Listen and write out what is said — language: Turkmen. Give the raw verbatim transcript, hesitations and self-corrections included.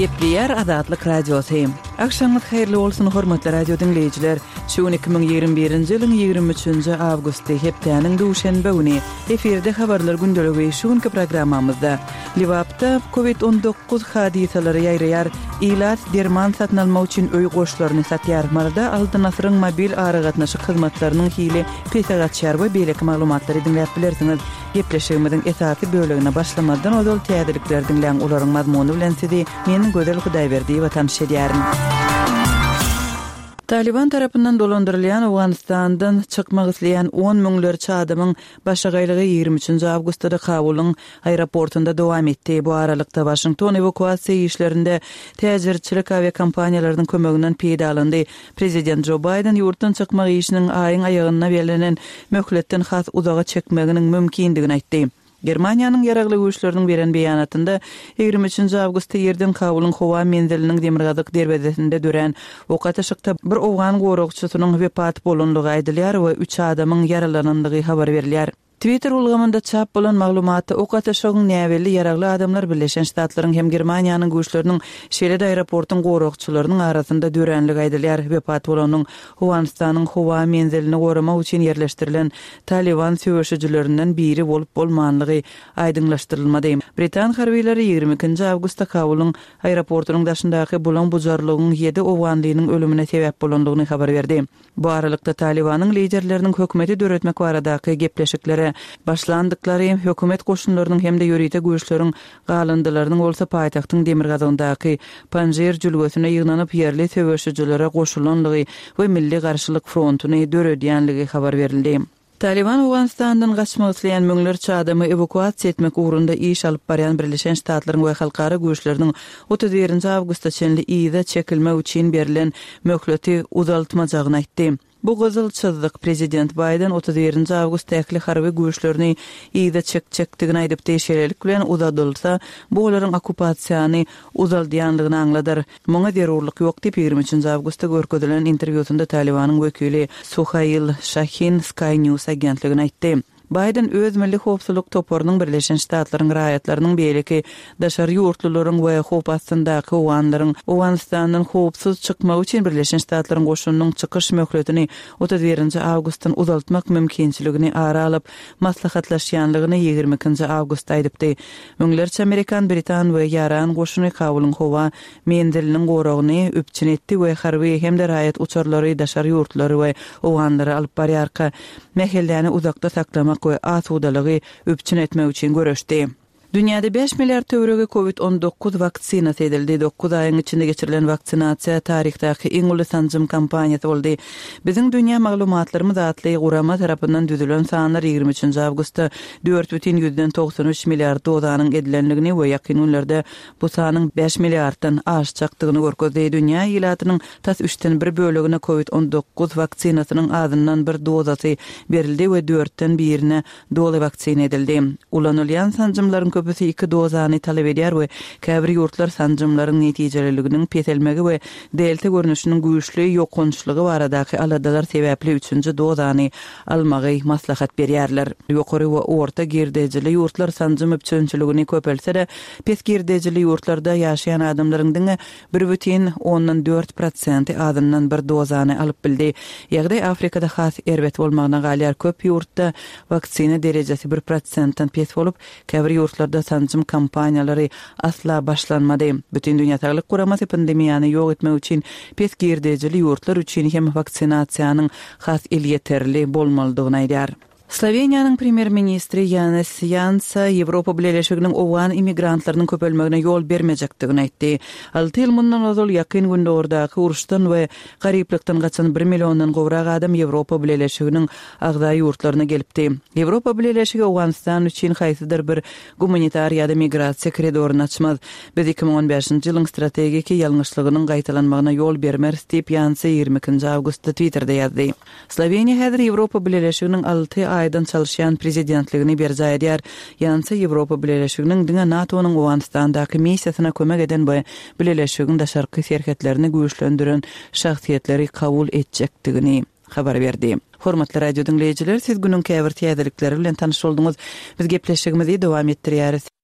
Gepleýär Azatlyk Radiosy. Agşamyňyz haýyrly bolsun, hormatly radio diňleýjiler. Şu gün iki müň ýigrimi birinji ýylyň ýigrimi üçünji awgusty, hepdäniň duşenbe güni. Efirde habarlar gündeligi şu günki programmamyzda. Lebapda Covid on dokuz hadysalary ýaýraýar. Ilat derman satyn almak üçin öý goşlaryny satýar. Maryda Altyn asyryň mobil aragatnaşyk hyzmatlarynyň hili pese gaçýar we beýleki maglumatlary diňläp bilersiňiz. Gepleşigimiziň esasy bölegine başlamazdan ozal täzelikleri diňläň, olaryň mazmuny bilen sizi men Gözel Hudaýberdiýewa tanyş edýärin. Taliban tarapyndan dolandyrylýan Owganystandan çykmak isleýän on müňlerçe adamyň başagaýlygy ýigrimi üçünji awgustda Kabulyň aeroportunda dowam etdi. Bu aralykda Waşington ewakuasiýa işlerinde täjirçilik awiakompaniýalarynyň kömeginden peýdalandy. Prezident Joe Biden ýurtdan çykmak işiniň aýyň aýagyna bellenen möhletden has uzaga çekmeginiň mümkindigini aýtdy. Germaniýanyň ýaragly güýçleriniň beren beýanatynda ýigrimi üçünji awgustda ýerden Kabulyň howa menziliniň demirgazyk derwezesinde dörän ok atyşykda bir owgan goragçysynyň wepat bolanlygy aýdylýar we üç adamyň ýaralanandygy habar berilýär. Twitter ulgamynda çap bolan maglumatda ok atyşygyň näbelli ýaragly adamlar Birleşen Ştatlaryň hem Germaniýanyň güýçleriniň şeýle-de aeroportuň goragçylarynyň arasynda döränligi aýdylýar. Wepat bolanyň Owganystanyň howa menzilini goramak üçin ýerleşdirilen Taliban söweşijilerinden biri bolup bolmanlygy aýdyňlaşdyrylmady. Britan harbileri ýigrimi ikinji awgustda Kabulyň aeroportunyň daşyndaky bulan bujarlygyň ýedi owganlynyň ölümine sebäp bolandygyny habar berdi. Bu aralykda Talibanyň liderleriniň hökümeti döretmek baradaky gepleşiklere başlandyklary, hökümet goşunlarynyň hem-de ýörite güýçleriň galyndylarynyň bolsa paýtagtyň demirgazygyndaky Panjir jülgesine ýygnanyp ýerli söweşijilere goşulanlygy we Milli Garşylyk frontuny döredýänligi habar berildi. Taliban Owganystandan gaçmak isleýän müňlerçe adamy ewakuasiýa etmek ugrunda iş alyp barýan Birleşen Ştatlaryň we halkara güýçleriniň otuz birinji awgusta çenli yza çekilmek üçin berlen möhleti uzaltmajagyny aýtdy. Bu gyzyl çyzdyk Prezident Biden otuz birinji awgustda ähli harby güýçlerini yza çekjekdigini aýdypdy. Şeýlelik bilen uzadylsa, bu olaryň okkupasiýany uzaldýanlygyny aňladar. Muňa zerurlyk ýok diýip ýigrimi üçünji awgustda görkezilen interwýusynda Talibanyň wekili Suhail Şahin Sky News agentligine aýtdy. Biden öz milli howpsuzlyk toparynyň Birleşen Ştatlaryň raýatlarynyň beýleki daşary ýurtlularyň we howp astyndaky owganlaryň Owganystandan howpsuz çykmagy üçin Birleşen Ştatlaryň goşunynyň çykyş möhletini otuz birinji awgustdan uzaltmak mümkinçiligini ara alyp maslahatlaşýanlygyny ýigrimi ikinji awgustda aýdypdy. Müňlerçe Amerikan, Britan we Ýaran goşuny Kabulyň howa menziliniň goragyny üpjün etdi we harby hem-de raýat uçarlary daşary ýurtlary we owganlary alyp barýarka mähelläni uzakda saklamak we asudalygy üpjün etmek üçin göreşdi. Dünýäde bäş milliard töweregi Covid on dokuz waksinasy edildi. Dokuz aýyň içinde geçirilen waksinasiýa taryhdaky iň uly sanjym kampaniýasy boldy. Biziň dünýä maglumatlarymyz atly gurama tarapyndan düzülen sanlar ýigrimi üçünji awgustda dört bütin ýüzden togsan üç milliard dozanyň edilenligini we ýakyn günlerde bu sanyň bäş milliarddan aşjakdygyny görkezdi. Dünýä ilatynyň tas üçden bir bölegine Covid on dokuz waksinasynyň azyndan bir dozasy berildi we dörtden birine doly waksina edildi. Ulanylýan sanjymlaryň köpüsi iki dozany talap edýär we käbir ýurtlar sanjymlaryň netijeliliginiň peselmegi we delta görnüşiniň güýçli ýokançlygy baradaky aladalar sebäpli üçünji dozany almagy maslahat berýärler. Ýokary we orta girdejili ýurtlar sanjym üpjünçiligini köpelse-de, pes girdejili ýurtlarda ýaşaýan adamlaryň diňe bir bütin ondan dört prosenti azyndan bir dozany alyp bildi. Ýagdaý Afrikada has erbet bolmagyna galýar. Köp ýurtda waksina derejesi bir prosentden pes bolup, käbir ýurtlarda sanjym kampaniýalary asla başlanmady. Bütün Dünýä Saglyk Guramasy pandemiýany ýok etmek üçin pes girdejili ýurtlar üçin hem waksinasiýanyň has elýeterli bolmalydygyny aýdýar. Sloweniýanyň premýer-ministri Janez Jansa Ýewropa Bileleşiginiň owgan immigrantlarynyň köpelmegine ýol bermejekdigini aýtdy. Alty ýyl mundan ozal ýakyn gündogurdaky uruşdan we garyplykdan gaçan bir milliondan gowrak adam Ýewropa Bileleşiginiň agza ýurtlaryna gelipdi. Ýewropa Bileleşigi Owganystan üçin haýsydyr bir gumanitar ýa-da migrasiýa koridoryny açmaz. Biz iki müň on bäşinji ýylyň strategiki ýalňyşlygynyň gaýtalanmagyna ýol bermeris diýip Jansa ýigrimi ikinji awgustda Twitterde ýazdy. Sloweniýa häzir Ýewropa Bileleşiginiň alty aýdan çalyşýan prezidentligini berjaý edýär. Jansa Ýewropa Bileleşiginiň diňe NATO-nyň Owganystandaky missiýasyna kömek eden we Bileleşigiň daşarky serhetlerini güýçlendiren şahsyýetleri kabul etjekdigini habar berdi. Hormatly radio diňleýjiler, siz günüň käbir täzelikleri bilen tanyş bolduňyz. Biz gepleşigimizi dowam etdirýäris.